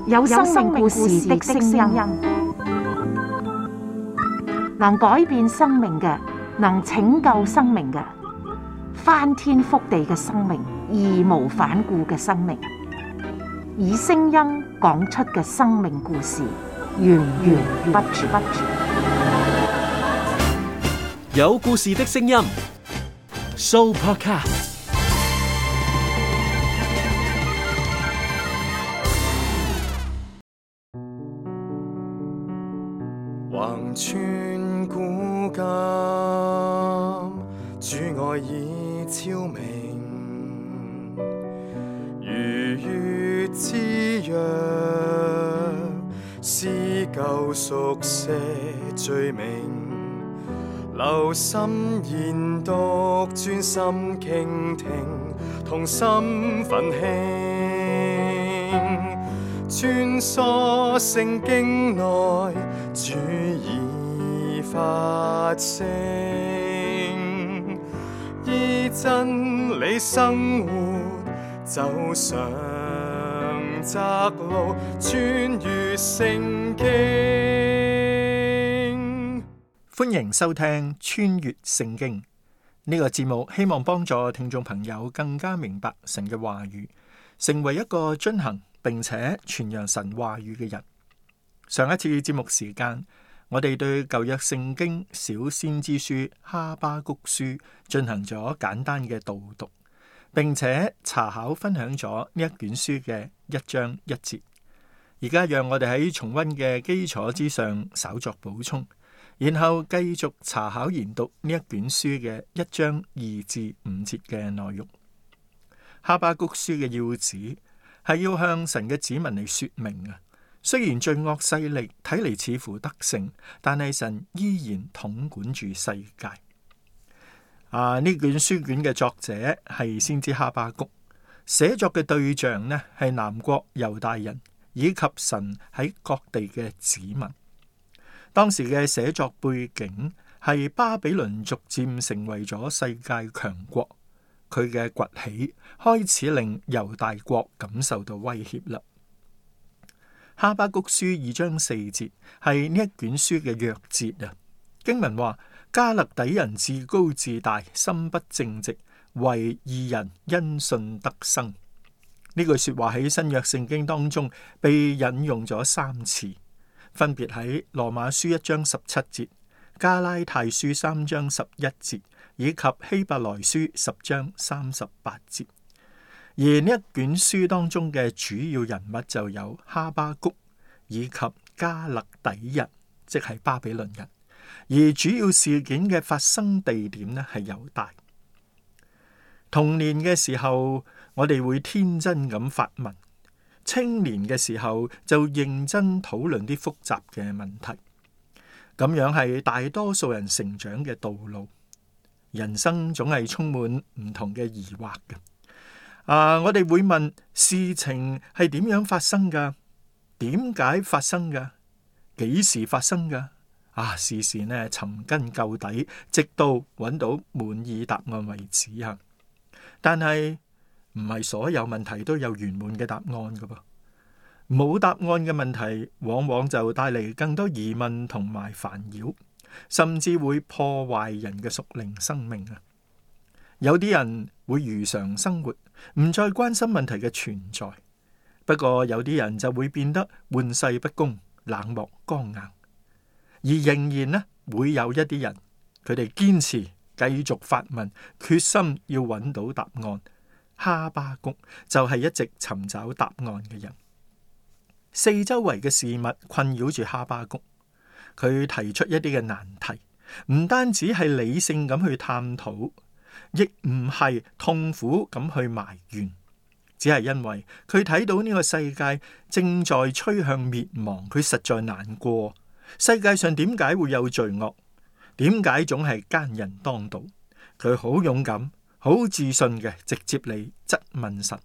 有生命故事的聲音，能改變生命嘅，能拯救生命嘅，翻天覆地嘅生命，義無反顧嘅生命，以聲音講出嘅生命故事，源源不絕。有故事的聲音 ，Sooopodcast。橫穿古今，主愛已超明，如月之約，撕舊熟寫罪名，留心研讀，專心傾聽，同心奮興，穿梭聖經內，主已發聲，依真理生活，走上窄路，穿越聖經。歡迎收聽穿越聖經呢個節目，希望幫助聽眾朋友更加明白神嘅話語，成為一個遵行並且傳揚神話語嘅人。上一次節目時間，我哋對舊約聖經小先知書哈巴谷書進行咗簡單嘅導讀，並且查考分享咗呢一卷書嘅一章一節。而家讓我哋喺重溫嘅基礎之上稍作補充，然後繼續查考研讀呢一卷書嘅一章2至5節嘅內容。哈巴谷書嘅要旨係要向神嘅子民嚟說明啊。雖然罪惡勢力睇嚟似乎得勝，但係神依然統管住世界。呢卷書卷嘅作者係先知哈巴谷，寫作嘅對象呢係南國猶大人以及神喺各地嘅子民。當時嘅寫作背景係巴比倫逐漸成為咗世界強國，佢嘅崛起開始令猶大國感受到威脅啦。哈巴谷書2章4節係呢一卷書嘅鑰節啊。經文話：加勒底人自高自大，心不正直，惟義人因信得生。呢句說話喺新約聖經當中被引用咗3次，分別喺羅馬書1章17節、加拉太書3章11節以及希伯來書10章38節。而呢一卷書當中嘅主要人物就有哈巴谷以及加勒底人，即係巴比倫人。而主要事件嘅發生地點呢係猶大。童年嘅時候，我哋會天真咁發問；青年嘅時候就認真討論啲複雜嘅問題。咁樣係大多數人成長嘅道路。人生總係充滿唔同嘅疑惑嘅。我哋會問事情係點樣發生噶？點解發生噶？幾時發生噶？事事呢尋根究底，直到揾到滿意答案為止啊！但係唔係所有問題都有圓滿嘅答案噶噃。冇答案嘅問題，往往就帶嚟更多疑問同埋煩擾，甚至會破壞人嘅屬靈生命啊！有啲人會如常生活，唔再關心問題嘅存在。不過有啲人就會變得玩世不恭、冷漠剛硬，而仍然呢會有一啲人，佢哋堅持繼續發問，決心要揾到答案。哈巴谷就係一直尋找答案嘅人。四周圍嘅事物困擾住哈巴谷，佢提出一啲嘅難題，唔單止係理性咁去探討，亦唔係痛苦咁去埋怨，只係因為佢睇到呢個世界正在趨向滅亡，佢實在難過。世界上點解會有罪惡？點解總係奸人當道？佢好勇敢、好自信嘅，直接嚟質問神，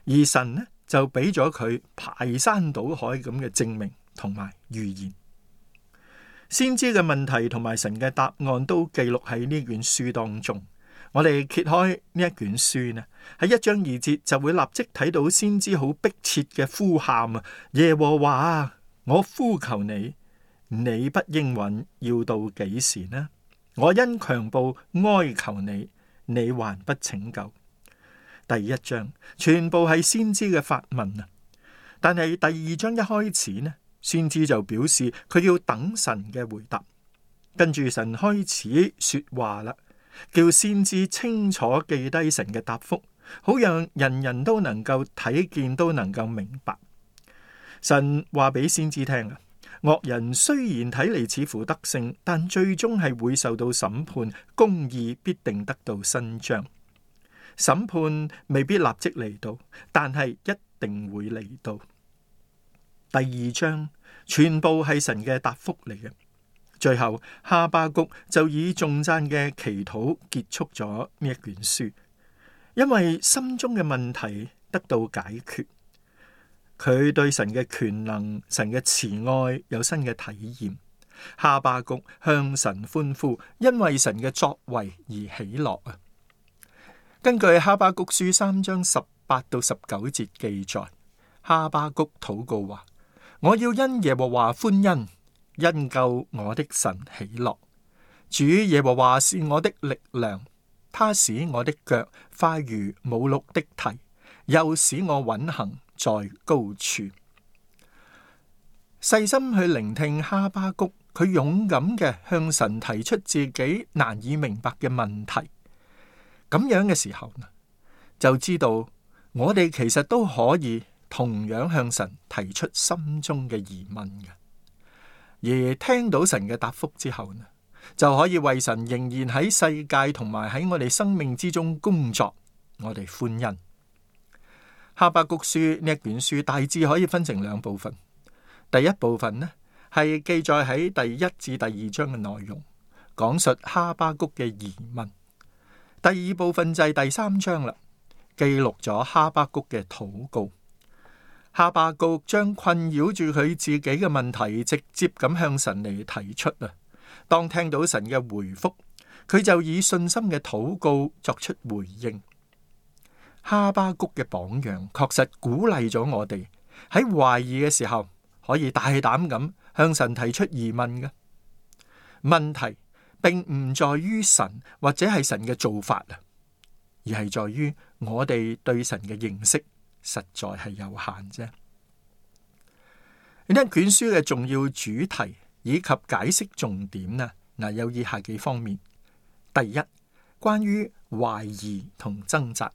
而神呢就俾咗佢排山倒海咁嘅證明同埋預言。先知嘅問題同埋神嘅答案都記錄喺呢卷書當中。我哋揭開呢一卷書呢，喺1章2節就會立即睇到先知好迫切嘅呼喊啊！耶和華啊，我呼求你，你不應允，要到幾時呢？我因強暴哀求你，你還不拯救。第1章全部係先知嘅發問啊，但係第2章一開始呢，先知就表示佢要等神嘅回答，跟住神開始說話啦。叫先知清楚記低神嘅答覆，好讓人人都能夠睇見，都能夠明白。神話俾先知聽啊，惡人雖然睇嚟似乎得勝，但最終係會受到審判，公義必定得到伸張。審判未必立即嚟到，但係一定會嚟到。第2章全部係神嘅答覆嚟嘅。最後哈巴谷就以頌讚嘅祈禱結束咗呢一卷書，因為心中嘅問題得到解決，佢對神嘅權能、神嘅慈愛有新嘅體驗。哈巴谷向神歡呼，因為神嘅作為而喜樂啊！根據哈巴谷書3章18到19節記載，哈巴谷禱告話：我要因耶和華歡欣，因救我的神喜樂。主耶和華是我的力量，他使我的腳快如母鹿的蹄，又使我穩行在高處。細心去聆聽哈巴谷，佢勇敢嘅向神提出自己難以明白嘅問題。咁樣嘅時候呢，就知道我哋其實都可以同樣向神提出心中嘅疑問嘅。而聽到神嘅答覆之後呢，就可以為神仍然喺世界同埋喺我哋生命之中工作，我哋歡欣。哈巴谷書呢一卷書大致可以分成2部分。第一部分呢係記載喺第1至第2章嘅內容，講述哈巴谷嘅疑問。第2部分就係第3章啦，記錄咗哈巴谷嘅禱告。哈巴谷將困擾住佢自己嘅問題直接咁向神嚟提出啊。當聽到神嘅回覆，佢就以信心嘅禱告作出回應。哈巴谷嘅榜樣確實鼓勵咗我哋喺懷疑嘅時候可以大膽咁向神提出疑問嘅。問題並唔在於神或者係神嘅做法啊，而係在於我哋對神嘅認識實在係有限啫。呢一卷書嘅重要主題以及解釋重點呢，有以下幾方面。第一，關於懷疑同掙扎。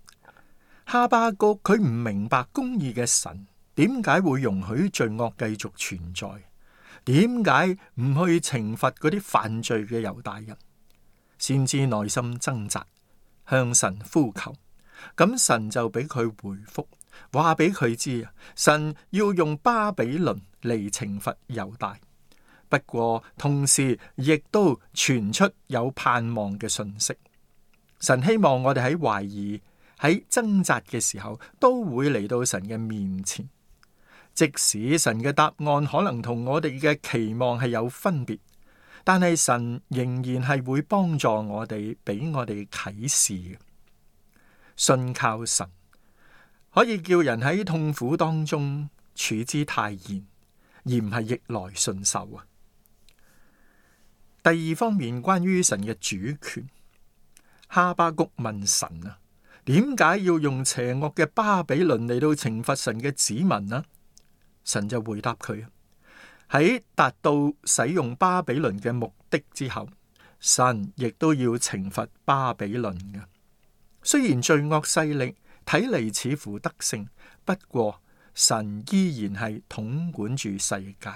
哈巴谷佢唔明白公義嘅神點解會容許罪惡繼續存在，點解唔去懲罰嗰啲犯罪嘅猶大人，先知內心掙扎，向神呼求，咁神就俾佢回覆，話俾佢知啊，神要用巴比倫嚟懲罰猶大，不過同時亦都傳出有盼望嘅信息。神希望我哋喺懷疑、喺掙扎嘅時候，都會嚟到神嘅面前，即使神嘅答案可能同我哋嘅期望係有分別，但係神仍然係會幫助我哋，俾我哋啟示嘅。信靠神可以叫人喺痛苦當中處之泰然，而唔係逆來順受啊。第二方面，關於神嘅主權，哈巴谷問神啊，點解要用邪惡嘅巴比倫嚟到懲罰神嘅子民啊？神就回答佢，喺達到使用巴比倫嘅目的之後，神亦都要懲罰巴比倫嘅。雖然罪惡勢力睇嚟似乎得勝，不過神依然係統管住世界，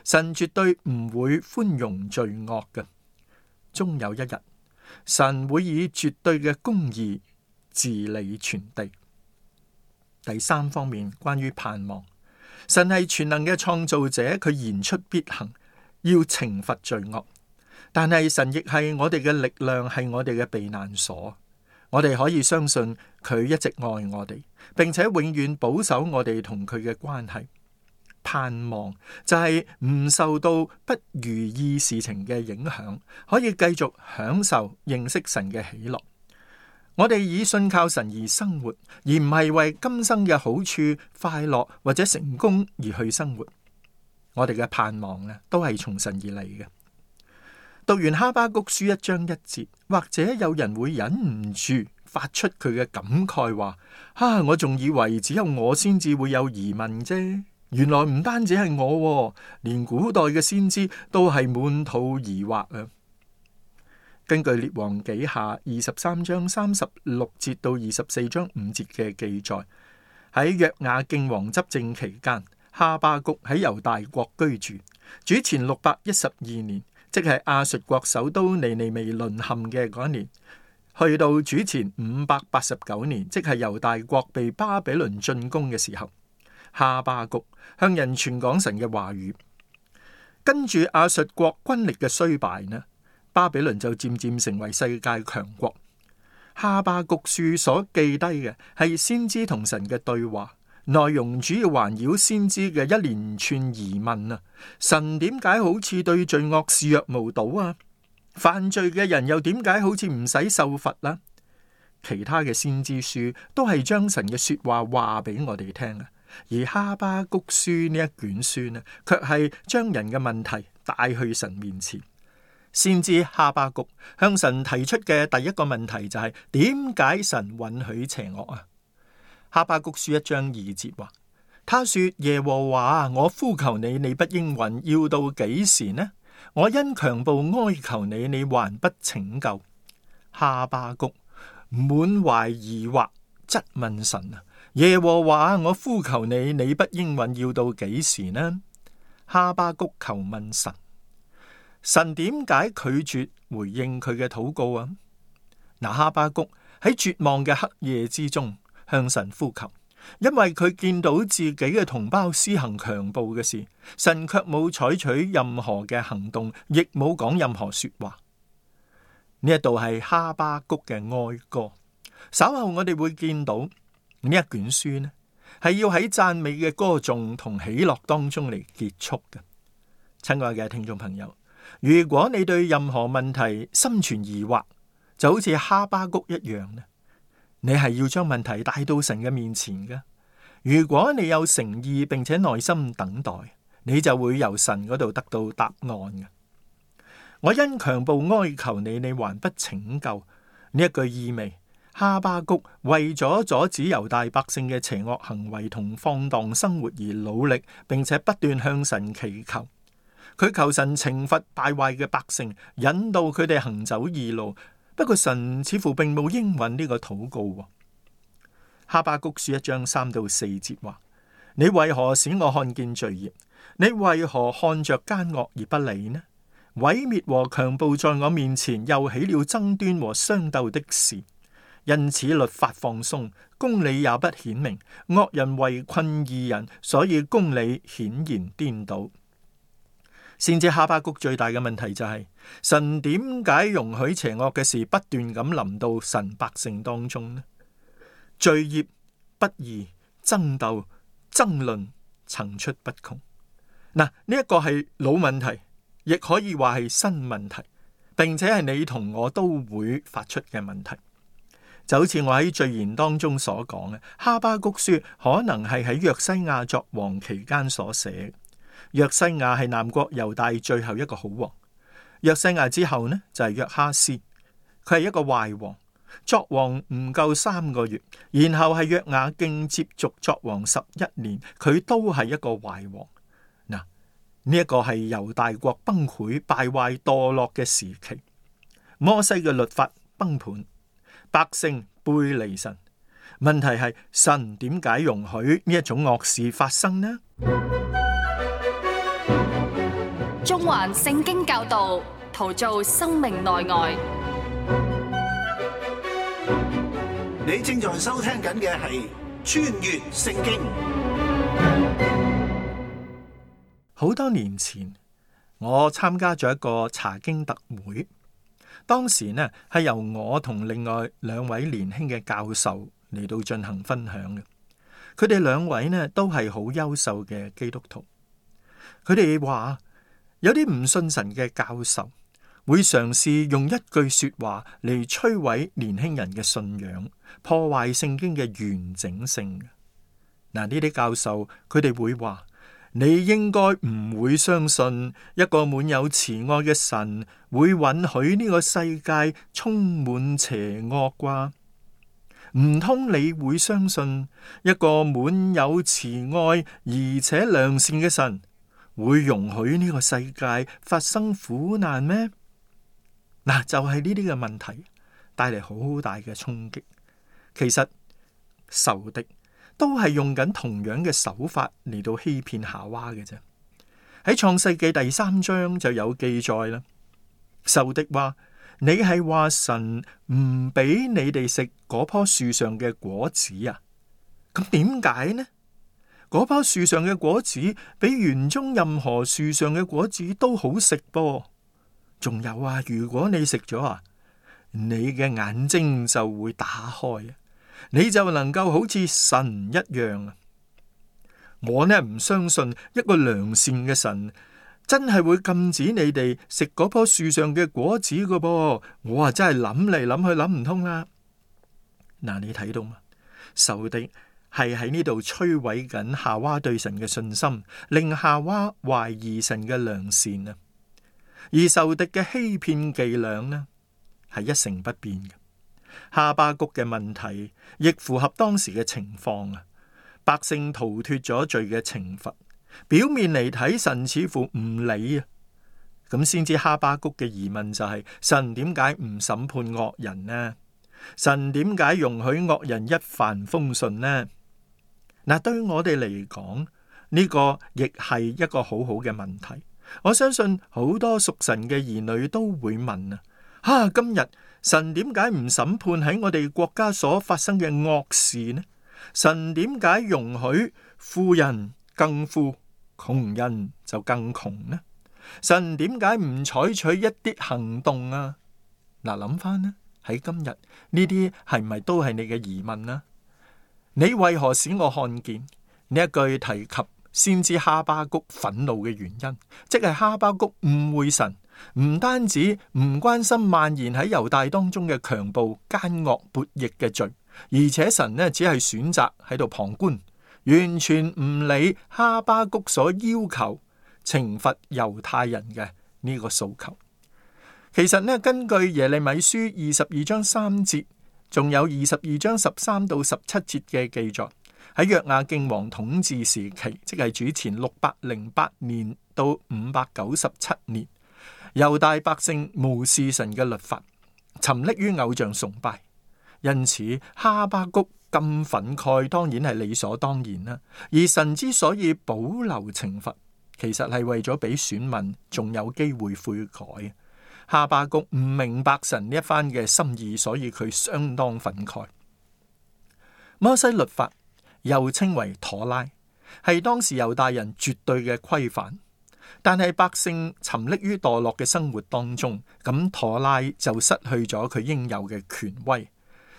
神絕對唔會寬容罪惡嘅。終有一日，神會以絕對嘅公義治理全地。第三方面，關於盼望，神係全能嘅創造者，佢言出必行，要懲罰罪惡。但係神亦係我哋嘅力量，係我哋嘅避難所。我哋可以相信佢一直愛我哋，並且永遠保守我哋同佢嘅關係。盼望就係唔受到不如意事情嘅影響，可以繼續享受認識神嘅喜樂。我哋以信靠神而生活，而唔係為今生嘅好處、快樂或者成功而去生活。我哋嘅盼望呢，都係從神而嚟嘅。讀完哈巴谷書1章1節，或者有人會忍唔住發出佢嘅感慨話：我仲以為只有我先至會有疑問啫，原來唔單止係我，連古代嘅先知都係滿肚疑惑啊！根據列王紀下23章36節到24章5節嘅記載，喺約雅敬王執政期間，哈巴谷喺猶大國居住，主前612年，即係亞述國首都尼尼微淪陷嘅嗰一年，去到主前589年，即係猶大國被巴比倫進攻嘅時候，哈巴谷向人傳講神嘅話語。跟住亞述國軍力嘅衰敗呢，巴比倫就漸漸成為世界強國。哈巴谷書所記低嘅係先知同神嘅對話，內容主要環繞先知嘅一連串疑問啊！神點解好似對罪惡視若無睹啊？犯罪嘅人又點解好似唔使受罰啦？其他嘅先知書都係將神嘅說話話俾我哋聽啊，而哈巴谷書呢一卷書呢，卻係將人嘅問題帶去神面前。先知哈巴谷向神提出嘅第一個問題就係點解神允許邪惡啊？哈巴谷書1章2節話：他說耶和華，我呼求你，你不應允，要到幾時呢？我因強暴哀求你，你還不拯救。哈巴谷滿懷疑惑，質問神啊：耶和華，我呼求你，你不應允，要到幾時呢？哈巴谷求問神，神點解拒絕回應佢嘅禱告啊？哈巴谷喺絕望嘅黑夜之中向神呼求，因為佢見到自己嘅同胞施行強暴嘅事，神卻冇採取任何嘅行動，亦冇講任何說話。呢一度係哈巴谷嘅哀歌。稍後我哋會見到呢一卷書呢，係要喺讚美嘅歌頌同喜樂當中嚟結束嘅。親愛嘅聽眾朋友，如果你對任何問題心存疑惑，就好似哈巴谷一樣呢，你係要將問題帶到神嘅面前嘅。如果你有誠意並且耐心等待，你就會由神嗰度得到答案嘅。我因強暴哀求你，你還不拯救。呢一句意味，哈巴谷為咗阻止猶大百姓嘅邪惡行為同放蕩生活而努力，並且不斷向神祈求。佢求神懲罰敗壞嘅百姓，引導佢哋行走義路。不過神似乎並冇應允呢個禱告。哈巴谷書1章3到4節話：你為何使我看見罪孽？你為何看着奸惡而不理呢？毀滅和強暴在我面前，又起了爭端和相鬥的事。因此律法放鬆，公理也不顯明。惡人圍困義人，所以公理顯然顛倒。先知哈巴谷最大嘅問題就係神點解容許邪惡嘅事不斷咁臨到神百姓當中呢？罪孽、不義、爭鬥、爭論層出不窮。呢一個係老問題，亦可以話係新問題，並且係你同我都會發出嘅問題。就好似我喺序言當中所講嘅，哈巴谷書可能係喺約西亞作王期間所寫。約西亞係南國猶大最後一個好王。約西亞之後呢，就係約哈斯，佢係一個壞王，作王唔夠3個月，然後係約雅敬接續作王11年，佢都係一個壞王。呢一個係猶大國崩潰、敗壞、墮落嘅時期。摩西嘅律法崩盤，百姓背離神。問題係神點解容許呢一種惡事發生呢？中環聖經教導，陶造生命內外。你正在收聽緊嘅係穿越聖經。好多年前，我參加咗一個查經特會，當時呢係由我同另外2位年輕嘅教授嚟到進行分享嘅。佢哋2位呢都係好優秀嘅基督徒。佢哋話有啲唔信神嘅教授會嘗試用一句說話嚟摧毀年輕人嘅信仰，破壞聖經嘅完整性。嗱，呢啲教授佢哋會話：你應該唔會相信一個滿有慈愛嘅神會允許呢個世界充滿邪惡啩？唔通你會相信一個滿有慈愛而且良善嘅神會容許呢個世界發生苦難咩？嗱，就係呢啲嘅問題帶嚟好大嘅衝擊。其實仇敵都係用緊同樣嘅手法嚟到欺騙夏娃嘅啫。喺創世記第3章就有記載啦。仇敵話：你係話神唔俾你哋食嗰棵樹上嘅果子啊？咁點解呢？嗰棵樹上嘅果子比園中任何樹上嘅果子都好食噃。仲有啊，如果你食咗啊，你嘅眼睛就會打開啊，你就能夠好似神一樣啊。我呢唔相信一個良善嘅神真係會禁止你哋食嗰棵樹上嘅果子㗎噃。我啊真係諗嚟諗去諗唔通啦。嗱，你睇到嘛？仇敵係喺呢度摧毀緊夏娃對神嘅信心，令夏娃懷疑神嘅良善啊。而仇敵嘅欺騙伎倆呢，係一成不變嘅。哈巴谷嘅問題亦符合當時嘅情況啊。百姓逃脫咗罪嘅懲罰，表面嚟睇神似乎唔理啊。咁先知哈巴谷嘅疑問就係：神點解唔審判惡人呢？神點解容許惡人一帆風順呢？嗱，對我哋嚟講，呢個亦係一個好好嘅問題。我相信好多屬神嘅兒女都會問啊，今日神點解唔審判喺我哋國家所發生嘅惡事呢？神點解容許富人更富，窮人就更窮呢？神點解唔採取一啲行動啊？嗱，諗翻呢，喺今日呢啲係咪都係你嘅疑問呢？你為何使我看見？呢一句提及先知哈巴谷憤怒嘅原因，即係哈巴谷誤會神，唔單止唔關心蔓延喺猶大當中嘅強暴、奸惡、悖逆嘅罪，而且神呢只係選擇喺度旁觀，完全唔理哈巴谷所要求懲罰猶太人嘅呢個訴求。其實呢，根據耶利米書22章3節，仲有22章13到17節嘅記載，喺約雅敬王統治時期，即係主前608年到597年，猶大百姓無視神嘅律法，沉溺於偶像崇拜，因此哈巴谷咁憤慨，當然係理所當然啦。而神之所以保留懲罰，其實係為咗俾選民仲有機會悔改。哈巴谷唔明白神呢一番嘅心意，所以佢相當憤慨。摩西律法又稱為妥拉，係當時猶大人絕對嘅規範。但係百姓沉溺於墮落嘅生活當中，咁妥拉就失去咗佢應有嘅權威，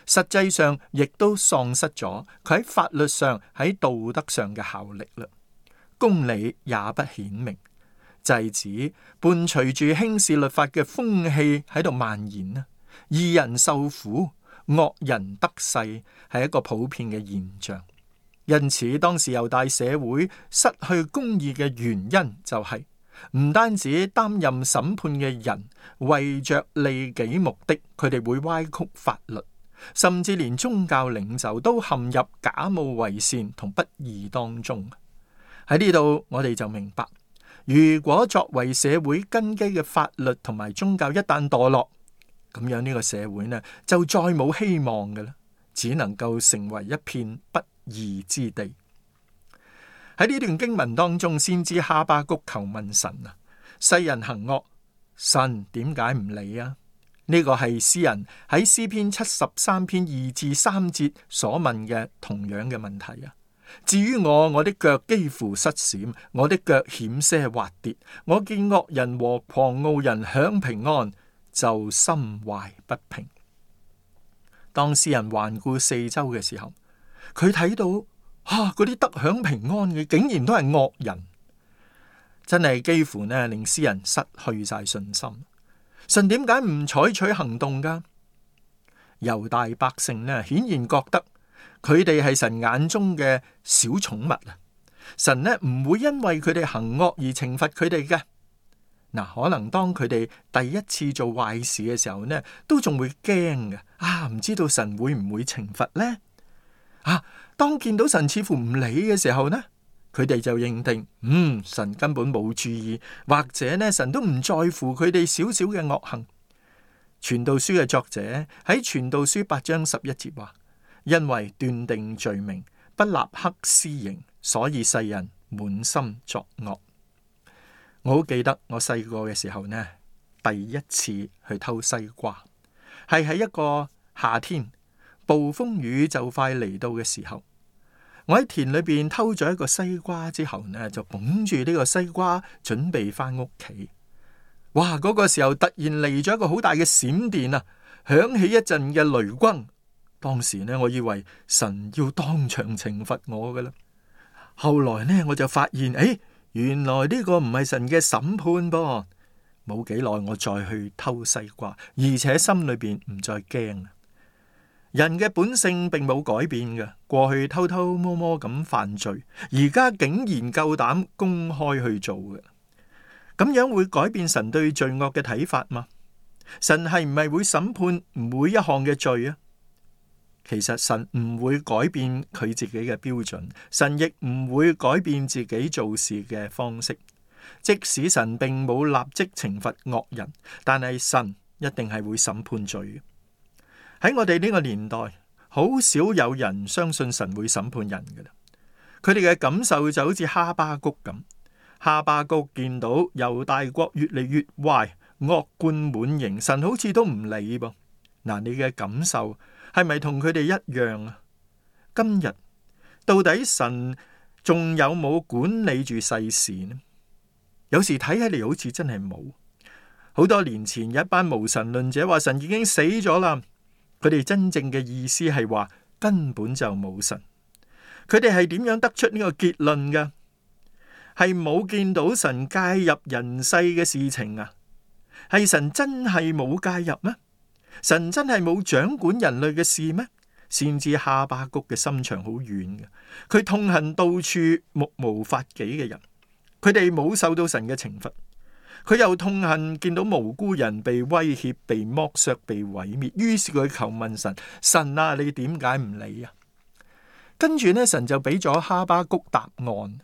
實際上亦都喪失咗佢喺法律上、喺道德上嘅效力啦。公理也不顯明，就係指伴隨住輕視律法嘅風氣喺度蔓延啦。義人受苦，惡人得勢，係一個普遍嘅現象。因此，當時猶大社會失去公義嘅原因就係唔單止擔任審判嘅人為着利己目的，佢哋會歪曲法律，甚至連宗教領袖都陷入假冒為善同不義當中。喺呢度，我哋就明白，如果作為社會根基嘅法律同埋宗教一旦墮落，咁樣呢個社會呢就再冇希望嘅啦，只能夠成為一片不義之地。喺呢段經文當中，先知哈巴谷求問神啊，世人行惡，神點解唔理啊？呢個係詩人喺詩篇73篇2至3節所問嘅同樣嘅問題啊。至於我的腳幾乎失閃，我的腳險些滑跌，我見惡人和狂傲人享平安，就心懷不平。當詩人環顧四周嘅時候，佢睇到嗰啲得享平安嘅竟然都係惡人，真係幾乎呢令詩人失去晒信心。神點解唔採取行動噶？猶大百姓呢，顯然覺得佢哋係神眼中嘅小寵物啊！神呢唔會因為佢哋行惡而懲罰佢哋嘅。嗱，可能當佢哋第一次做壞事嘅時候呢，都仲會驚嘅。唔知道神會唔會懲罰呢？當見到神似乎唔理嘅時候呢，佢哋就認定，神根本冇注意，或者呢，神都唔在乎佢哋少少嘅惡行。傳道書嘅作者喺傳道書8章11節話：因為斷定罪名，不立刻施行，所以世人滿心作惡。我好記得我細個嘅時候呢，第一次去偷西瓜，係喺一個夏天，暴風雨就快嚟到嘅時候，我喺田裏邊偷咗一個西瓜之後呢，就捧住呢個西瓜準備翻屋企。哇！嗰個時候突然嚟咗一個好大嘅閃電啊，響起一陣嘅雷轟。當時呢，我以為神要當場懲罰我噶啦。後來呢，我就發現，原來呢個唔係神嘅審判噃。冇幾耐，我再去偷西瓜，而且心裏邊唔再驚。人嘅本性並冇改變嘅，過去偷偷摸摸咁犯罪，而家竟然夠膽公開去做嘅。咁樣會改變神對罪惡嘅睇法嗎？神係唔係會審判每一項嘅罪啊？其實神唔會改變佢自己嘅標準，神亦唔會改變自己做事嘅方式。即使神並冇立即懲罰惡人，但係神一定係會審判罪嘅。喺我哋呢個年代，好少有人相信神會審判人嘅啦。佢哋嘅感受就好似哈巴谷咁。哈巴谷見到猶大國越嚟越壞，惡貫滿盈，神好似都唔理噃。嗱，你嘅感受係咪同佢哋一樣啊？今日到底神仲有冇管理住世事呢？有時睇起嚟好似真係冇。好多年前有一班無神論者話神已經死咗啦，佢哋真正嘅意思係話根本就冇神。佢哋係點樣得出呢個結論㗎？係冇見到神介入人世嘅事情啊？係神真係冇介入咩？神真係冇掌管人類嘅事咩？先知哈巴谷嘅心腸好軟嘅，佢痛恨到處目無法紀嘅人，佢哋冇受到神嘅懲罰，佢又痛恨見到無辜人被威脅、被剝削、被毀滅，於是佢求問神：神啊，你點解唔理啊？跟住呢，神就俾咗哈巴谷答案。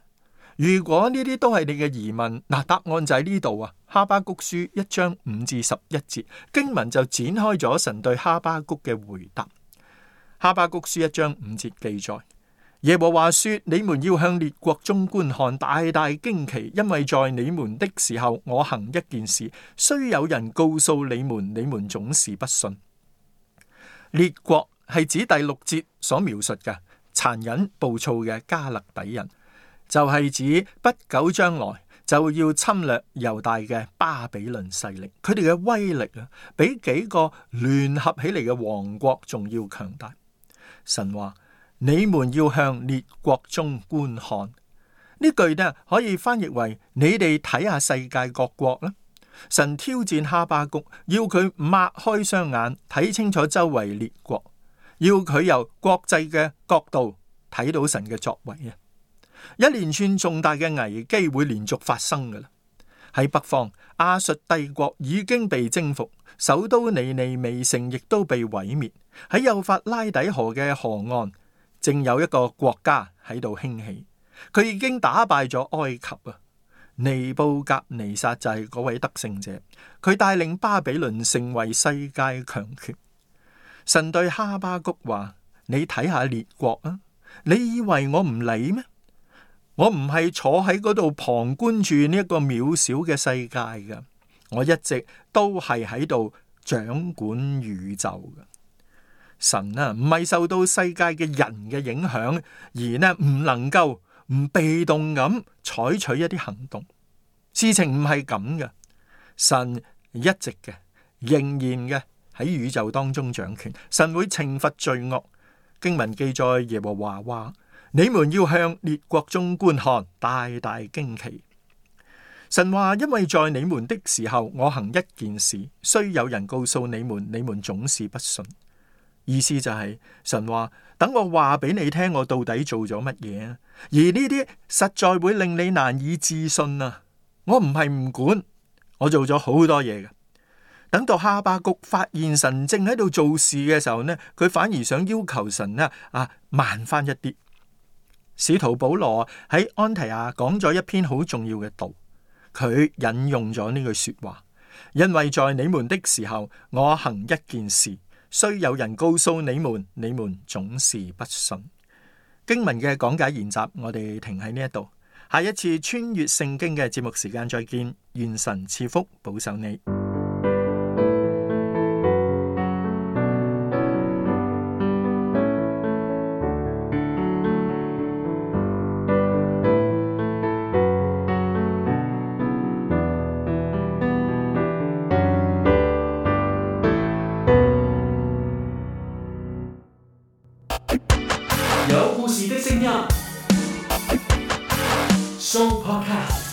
如果呢啲都係你嘅疑問，答案就喺呢度啊。哈巴谷書1章5至11節經文就展開咗神對哈巴谷嘅回答。哈巴谷書1章5節記載：耶和華說，你們要向列國中觀看，大大驚奇，因為在你們的時候，我行一件事，雖有人告訴你們，你們總是不信。列國係指第6節所描述嘅殘忍暴躁嘅加勒底人，就係指不久將來就要侵略猶大嘅巴比倫勢力。佢哋嘅威力啊，比幾個聯合起嚟嘅王國仲要強大。神話你們要向列國中觀看，呢句呢可以翻譯為你哋睇下世界各國啦。神挑戰哈巴谷，要佢擘開雙眼睇清楚周圍列國，要佢由國際嘅角度睇到神嘅作為啊！一連串重大嘅危機會連續發生噶啦。喺北方，亞述帝國已經被征服，首都尼尼微城亦都被毀滅。喺幼發拉底河嘅河岸，正有一個國家喺度興起，佢已經打敗咗埃及啊！尼布甲尼撒就係嗰位得勝者，佢帶領巴比倫成為世界強權。神對哈巴谷話：你睇下列國啊，你以為我唔理咩？我唔係坐喺嗰度旁觀住呢一個渺小嘅世界噶，我一直都係喺度掌管宇宙噶。神啊，唔係受到世界嘅人嘅影響，而呢唔能夠唔被動咁採取一啲行動。事情唔係咁嘅，神一直嘅仍然嘅喺宇宙當中掌權。神會懲罰罪惡。經文記載耶和華話：你們要向列國中觀看，大大驚奇。神話，因為在你們的時候，我行一件事，雖有人告訴你們，你們總是不信。意思就係神話，等我話俾你聽，我到底做咗乜嘢啊？而呢啲實在會令你難以置信啊！我唔係唔管，我做咗好多嘢嘅。等到哈巴谷發現神正喺度做事嘅時候呢，佢反而想要求神呢慢翻一啲。使徒保羅喺安提亞講咗一篇好重要嘅道，佢引用咗呢句說話，因為在你們的時候，我行一件事，雖有人告訴你們，你們總是不信。經文嘅講解研習，我哋停喺呢一度。下一次穿越聖經嘅節目時間再見，願神賜福保守你。有故事的聲音，Show Podcast。